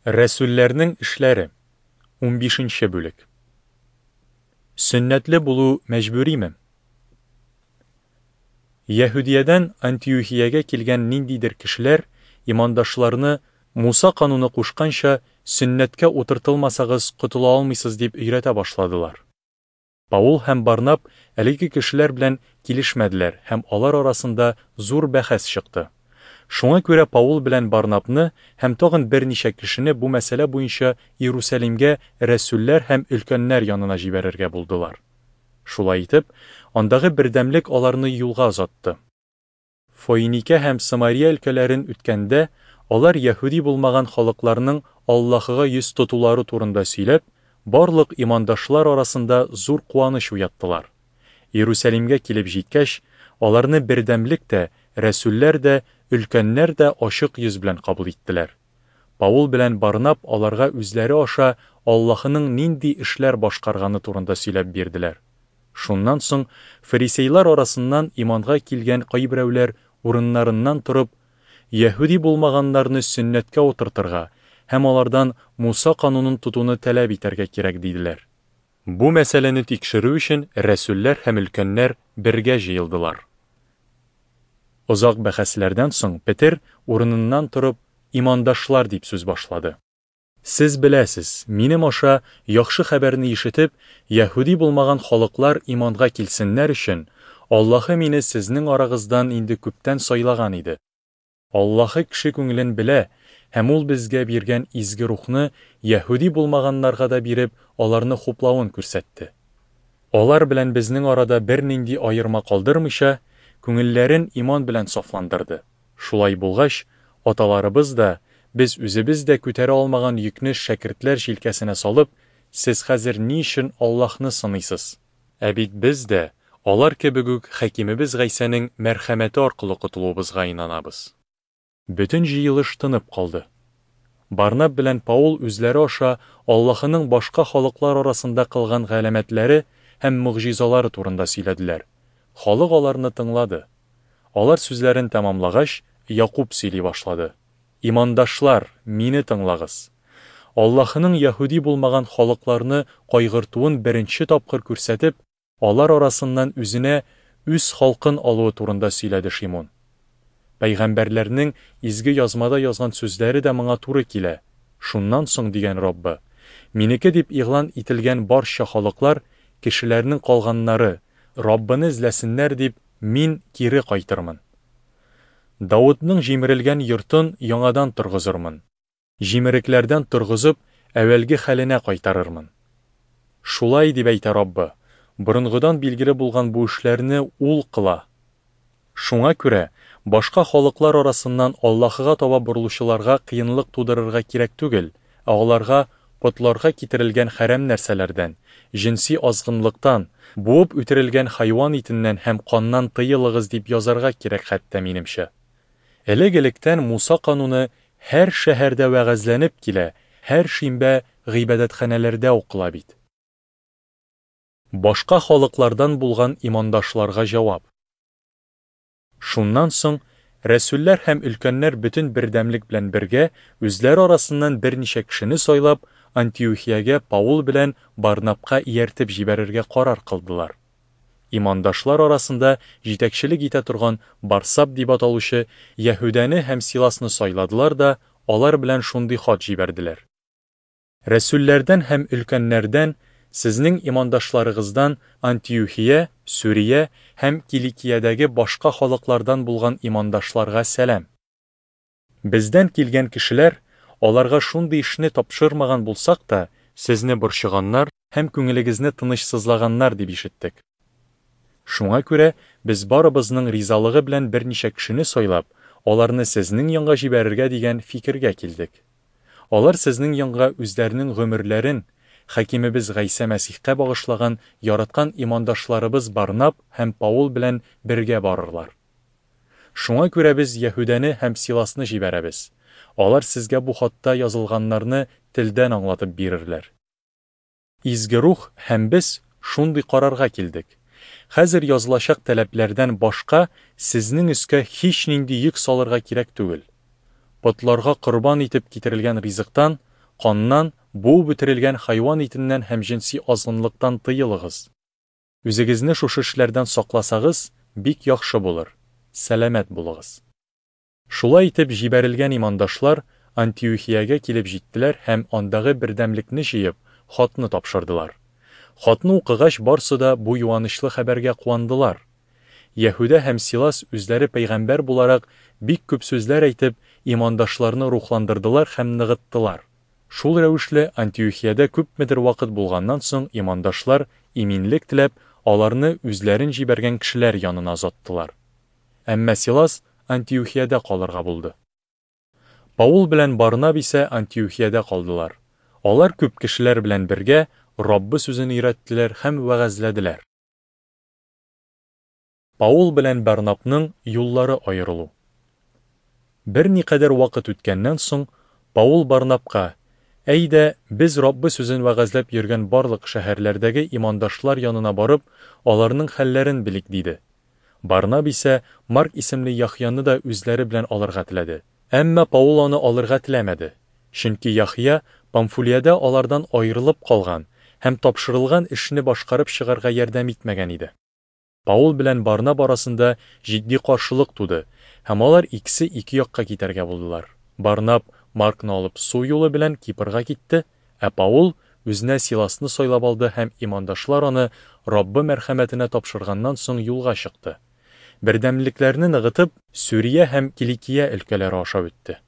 Рәсүлләрнең эшләре, унбишенче бүлек. Сөннәтле булу мәҗбүриме? Яһүдиядән Антиохиягә килгән ниндидер кешеләр имандашларны Муса кануны кушканча сөннәткә утыртылмасагыз котыла алмыйсыз дип өйрәтә башладылар. Паул һәм Барнаб әлеге кешеләр белән килешмәделәр һәм алар арасында зур бәхәс чыкты. Шуңа күрә Паул белән Барнабны һәм тагын берничә кешене бу мәсьәлә буенча Иерусалимгә рәсүлләр һәм өлкәннәр янына җибәрергә булдылар. Шулай итеп, андагы бердәмлек аларны юлга озатты. Фоиникә һәм Самария өлкәләрен үткәндә, алар яһүди булмаган халыкларның Аллаһыга йөз тотулары турында сөйләп, барлык имандашлар арасында зур куаныч уяттылар. Иерусалимгә килеп җиткәч, аларны бердәмлек тә, рәсүлләр дә, өлкәннәр дә ачык йөз белән кабул иттеләр. Паул белән Барнаб аларга үзләре аша Аллаһының нинди эшләр башкарганы турында сөйләп бирделәр. Шуннан соң фарисейлар арасыннан иманга килгән кайберәүләр урыннарыннан торып, яһүди булмаганнарны сөннәткә утыртырга һәм алардан Муса канунын тотуны таләп итәргә кирәк диделәр. Бу мәсьәләне тикшерү өчен рәсүлләр һәм өлкәннәр бергә җыелдылар. Озак бәхәсләрдән соң Петер урыныннан торып, имандашлар дип сүз башлады. Сез беләсез, минем аша яхшы хәбәрне ишетеп, яһүди булмаган халыклар иманга килсеннәр өчен, Аллаһы мине сезнең арагыздан инде күптән сайлаган иде. Аллаһы кеше күңелен белә, һәм ул безгә биргән изге рухны яһүди булмаганнарга да биреп, аларны хуплавын күрсәтте. Алар белән безнең арада бернинди аерма калдырмыйча, күңелләрен иман белән сафландырды. Шулай булгач, аталарыбыз да, без үзебез дә күтәрә алмаган йөкне шәкертләр җилкәсенә салып, сез хәзер ни өчен Аллаһны сыныйсыз? Ә бит без дә, алар кебек үк, Хакимебез Гайсәнең мәрхәмәте аркылы котылуыбызга инанабыз. Бөтен җыелыш тынып калды. Барнаб белән Паул үзләре аша Аллаһының башка халыклар арасында кылган галәмәтләре һәм могҗизалары турында сөйләделәр. Халык аларны тыңлады. Алар сүзләрен тәмамлагач, Якуб сөйли башлады. Имандашлар, мине тыңлагыз. Аллаһының яһүди булмаган халыкларны кайгыртуын беренче тапкыр күрсәтеп, алар арасыннан үзенә үз халкын алуы турында сөйләде Шимун. Пәйгамбәрләрнең изге язмада язган сүзләре дә моңа туры килә. Шуннан соң, дигән Раббы, минеке дип игълан ителгән барча халыклар, кешеләрнең калганнары, Раббыны эзләсеннәр дип, мин кире кайтырмын. Давытның җимерелгән йортын яңадан торгызырмын. Җимерекләрдән торгызып, әүвәлге хәленә кайтарырмын. Шулай дип әйтә Раббы, борынгыдан билгеле булган бу эшләрне Ул кыла. Шуңа күрә, башка халыклар арасыннан Аллаһыга таба борылучыларга кыенлык тудырырга кирәк түгел, ә аларга потларга китерелгән хәрәм нәрсәләрдән, җенси азгынлыктан, буып үтерелгән хайван итеннән һәм каннан тыелыгыз дип язарга кирәк хәтта, минемчә. Элек-электән Муса кануны һәр шәһәрдә вәгазьләнеп килә, һәр шимбә гыйбадәтханәләрдә укыла бит. Башка халыклардан булган имандашларга җавап. Шуннан соң рәсүлләр һәм өлкәннәр бөтен бердәмлек белән бергә үзләре арасыннан берничә кешене сайлап, Антиохиягә Паул белән Барнабка ияртеп җибәрергә карар кылдылар. Имандашлар арасында җитәкчелек итә торган Барсаб дип аталучы Яһүдәне һәм Силасны сайладылар да алар белән шундый хат җибәрделәр. Рәсүлләрдән һәм өлкәннәрдән, сезнең имандашларыгыздан Антиухия, Сүрия һәм Киликиядәге башка халыклардан булган имандашларга сәлам. Бездән килгән кешеләр, аларга шундый эшне тапшырмаган булсак та, сезне борчыганнар һәм күңелегезне тынычсызлаганнар дип ишеттек. Шуңа күрә без барыбызның ризалыгы белән берничә кешене сайлап, аларны сезнең янга җибәрергә дигән фикергә килдек. Алар сезнең янга үзләренең гомерләрен Хакимебез Гайсә Мәсихкә багышлаган яраткан имандашларыбыз Барнаб һәм Паул белән бергә барырлар. Шуңа күрә без Яһүдәне һәм Силасны җибәрәбез. Алар сезгә бу хатта язылганнарны телдән аңлатып бирерләр. Изге Рух һәм без шундый карарга килдек. Хәзер язылачак таләпләрдән башка сезнең өскә һичнинди йөк салырга кирәк түгел. Потларга корбан итеп китерелгән ризыктан, Каннан, буып үтерелгән хайван итеннән һәм җенси азгынлыктан тыелыгыз. Үзегезне шушы эшләрдән сакласагыз, бик яхшы булыр. Сәламәт булыгыз. Шулай итеп, җибәрелгән имандашлар Антиухиягә килеп җиттеләр һәм андагы бердәмлекне җыеп, хатны тапшырдылар. Хатны укыгач, барсы да бу юанычлы хәбәргә куандылар. Яһүдә һәм Силас үзләре пәйгамбәр буларак бик күп сүзләр әйтеп, имандашларны рухландырдылар һәм ныгыттылар. Шул рәвешле Антиухиядә күпмедер вакыт булганнан соң имандашлар, иминлек теләп, аларны үзләрен җибәргән кешеләр янына озаттылар. Әмма Силас Антиухиядә калырга булды. Паул белән Барнаб исә Антиухиядә калдылар. Алар күп кешеләр белән бергә Раббы сүзен өйрәттеләр һәм вәгазьләделәр. Паул белән Барнабның юллары аерылу. Берникадәр вакыт үткәннән соң, Паул Барнабка, Әйдә, без Раббы сүзен вәгазьләп йөргән барлык шәһәрләрдәге имандашлар янына барып, аларның хәлләрен белик, диде. Барнаб исә Марк исемле Яхъяны да үзләре белән алырга теләде. Әмма Паул аны алырга теләмәде, чөнки Яхъя Памфулиядә алардан аерылып калган һәм тапшырылган эшне башкарып чыгарга ярдәм итмәгән иде. Паул белән Барнаб арасында җитди каршылык туды, һәм алар икесе ике якка китәргә булдылар. Барнаб Маркны алып су юлы белән Кипрга китте, ә Паул үзенә Силасны сайлап алды һәм имандашлар аны Раббы мәрхәмәтенә тапшырганнан соң юлга чыкты. Бердәмлекләрне ныгытып, Сүрия һәм Киликия өлкәләре аша үтте.